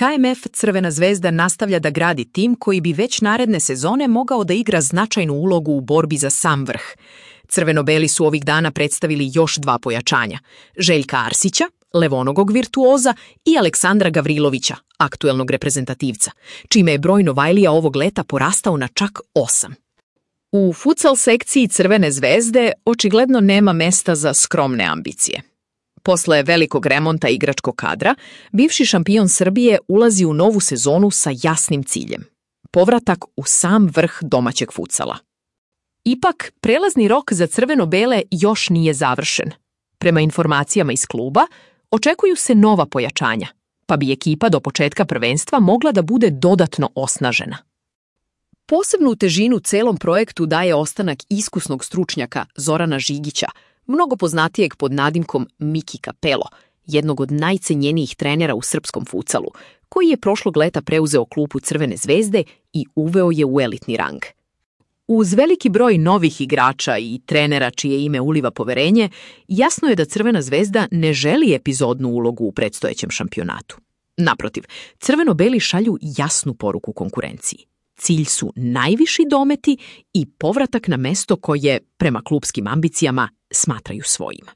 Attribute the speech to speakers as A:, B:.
A: KMF Crvena zvezda nastavlja da gradi tim koji bi već naredne sezone mogao da igra značajnu ulogu u borbi za sam vrh. Crveno-beli su ovih dana predstavili još 2 pojačanja. Željka Arsića, levonogog virtuoza, i Aleksandra Gavrilovića, aktuelnog reprezentativca, čime je broj Novajlija ovog leta porastao na čak 8. U futsal sekciji Crvene zvezde očigledno nema mesta za skromne ambicije. Posle velikog remonta igračkog kadra, bivši šampion Srbije ulazi u novu sezonu sa jasnim ciljem. Povratak u sam vrh domaćeg futsala. Ipak, prelazni rok za crveno-bele još nije završen. Prema informacijama iz kluba, očekuju se nova pojačanja, pa bi ekipa do početka prvenstva mogla da bude dodatno osnažena. Posebnu težinu celom projektu daje ostanak iskusnog stručnjaka Zorana Žigića, mnogo poznatijeg pod nadimkom Miki Kapelo, jednog od najcenjenijih trenera u srpskom futsalu, koji je prošlog leta preuzeo klupu Crvene zvezde i uveo je u elitni rang. Uz veliki broj novih igrača i trenera čije ime uliva poverenje, jasno je da Crvena zvezda ne želi epizodnu ulogu u predstojećem šampionatu. Naprotiv, crveno-beli šalju jasnu poruku konkurenciji. Cilj su najviši dometi i povratak na mesto koje, prema klupskim ambicijama, smatraju svojim.